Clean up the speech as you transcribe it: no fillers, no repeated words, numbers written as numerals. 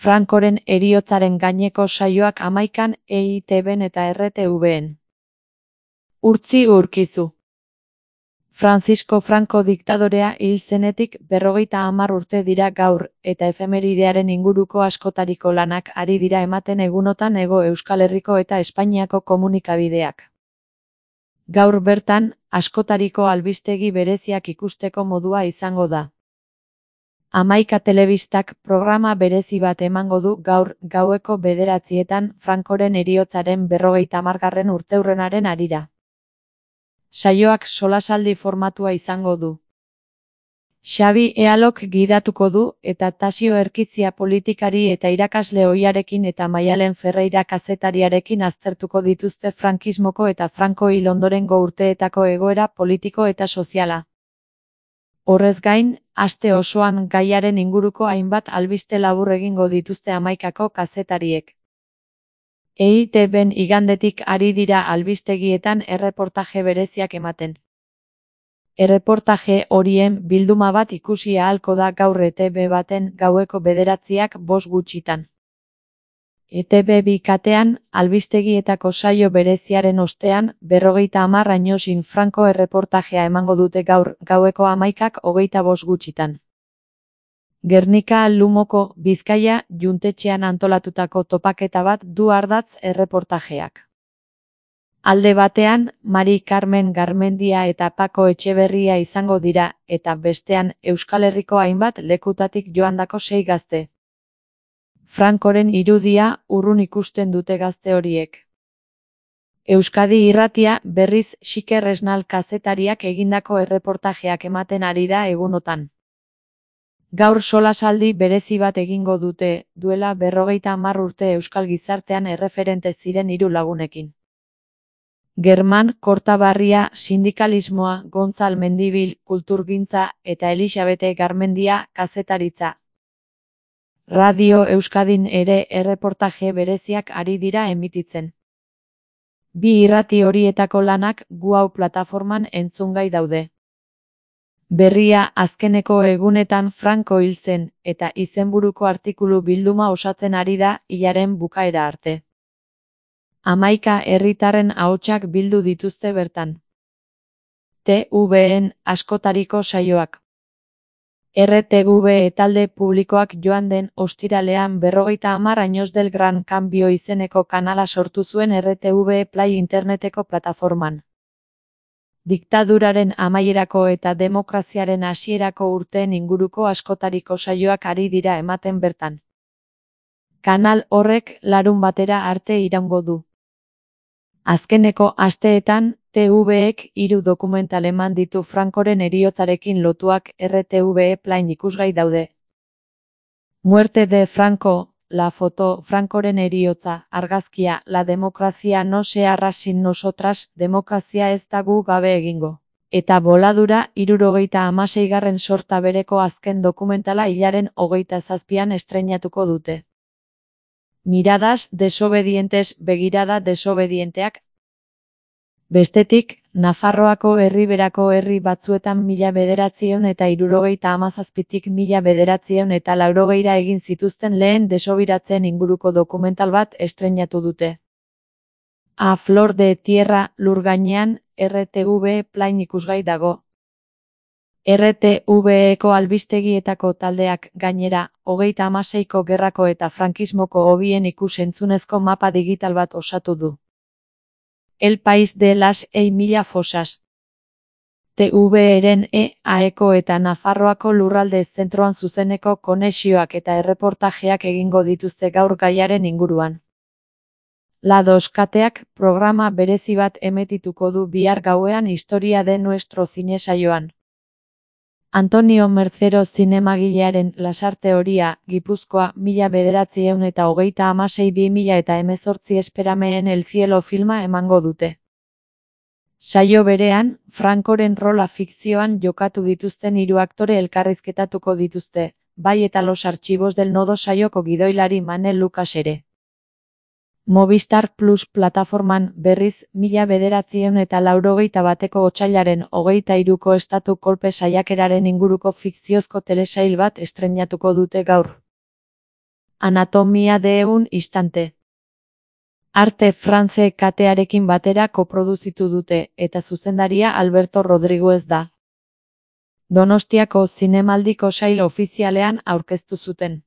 Francoren heriotzaren gaineko saioak 11an EITBn eta RTVn. Urtzi Urkizu. Francisco Franco diktadorea hil zenetik 50 urte dira gaur, eta efemeridearen inguruko askotariko lanak ari dira ematen egunotan Hego Euskal Herriko eta Espainiako komunikabideak. Gaur bertan, askotariko albistegi bereziak ikusteko modua izango da. 11 telebistak programa berezi bat emango du gaur gaueko 9etan Francoren heriotzaren 50. urteurrenaren harira. Saioak solasaldi formatua izango du. Xabi Ealok gidatuko du eta Tasio Erkizia politikari eta irakasle ohiarekin eta Maialen Ferreira kazetariarekin aztertuko dituzte frankismoko eta Franco hil ondorengo urteetako egoera politiko eta soziala. Horrez gain, aste osoan gaiaren inguruko hainbat albiste labur egingo dituzte 11ko kazetariek. EITBn igandetik ari dira albistegietan erreportaje bereziak ematen. Erreportaje horien bilduma bat ikusi ahalko da gaur ETB baten gaueko 9:05. ETB bikatean, albistegietako saio bereziaren ostean, 50 añosin Franco erreportajea emango dute gaur gaueko 11:25. Gernika Lumoko, Bizkaia, Juntetxean antolatutako topaketa bat du ardatz erreportajeak. Alde batean, Mari Carmen Garmendia eta Pako Etxeberria izango dira, eta bestean, Euskal Herriko hainbat lekutatik joandako 6 gazte. Francoren irudia urrun ikusten dute gazte horiek. Euskadi Irratia berriz Xiker Esnal kazetariak egindako erreportajeak ematen ari da egunotan. Gaur solasaldi berezi bat egingo dute, duela 50 urte euskal gizartean erreferente ziren 3 lagunekin. German Kortabarria sindikalismoa, Gontzal Mendibil kulturgintza eta Elisabete Garmendia kazetaritza. Radio Euskadin ere erreportaje bereziak ari dira emititzen. Bi irrati horietako lanak Guau plataforman entzungai daude. Berria azkeneko egunetan Franco hil zen, eta izenburuko artikulu bilduma osatzen ari da hilaren bukaera arte. 11 herritarren ahotsak bildu dituzte bertan. TVn askotariko saioak. RTV talde publikoak joan den ostiralean 50 años del Gran Cambio izeneko kanala sortu zuen RTV Play interneteko plataforman. Diktaduraren amaierako eta demokraziaren hasierako urteen inguruko askotariko saioak ari dira ematen bertan. Kanal horrek larunbatera arte iraungo du. Azkeneko asteetan, TVek 3 dokumental eman ditu Francoren heriotzarekin lotuak RTV Plain ikusgai daude. Muerte de Franco, La foto, Francoren heriotza, argazkia, La democracia no se hará sin nosotras, demokrazia ez da gu gabe egingo. Eta Boladura 76. sorta bereko azken dokumentala hilaren 27an estreinatuko dute. Miradas desobedientes, begirada desobedienteak. Bestetik, Nafarroako herriberako herri batzuetan 1977tik 1980 egin zituzten lehen desobiratzen inguruko dokumental bat estreinatu dute. A Flor de Tierra, lur gainean, RTV Plain ikusgai dago. RTVeko albistegietako taldeak gainera, 36ko gerrako eta frankismoko hobien ikus-entzunezko mapa digital bat osatu du. El País de las 1000 fosas. TVren EAeko eta Nafarroako lurralde zentroan zuzeneko konexioak eta erreportajeak egingo dituzte gaur gaiaren inguruan. La Dos kateak programa berezi bat emetituko du bihar gauean Historia de nuestro cine saioan. Antonio Mercero zinemagilearen Lasarte Horia, Gipuzkoa, 1936-2018 Esperameen el cielo filma emango dute. Saio berean, Francoren rola fikzioan jokatu dituzten 3 aktore elkarrizketatuko dituzte, bai eta Los archivos del nodo saioko gidoilari Manel Lucas ere. Movistar Plus plataforman berriz 1981ko otsailaren 23ko estatu kolpe saiakeraren inguruko fikziozko telesail bat estreinatuko dute gaur. Anatomia de un instante. Arte France katearekin batera koproduzitu dute, eta zuzendaria Alberto Rodriguez da. Donostiako Zinemaldiko sail ofizialean aurkeztu zuten.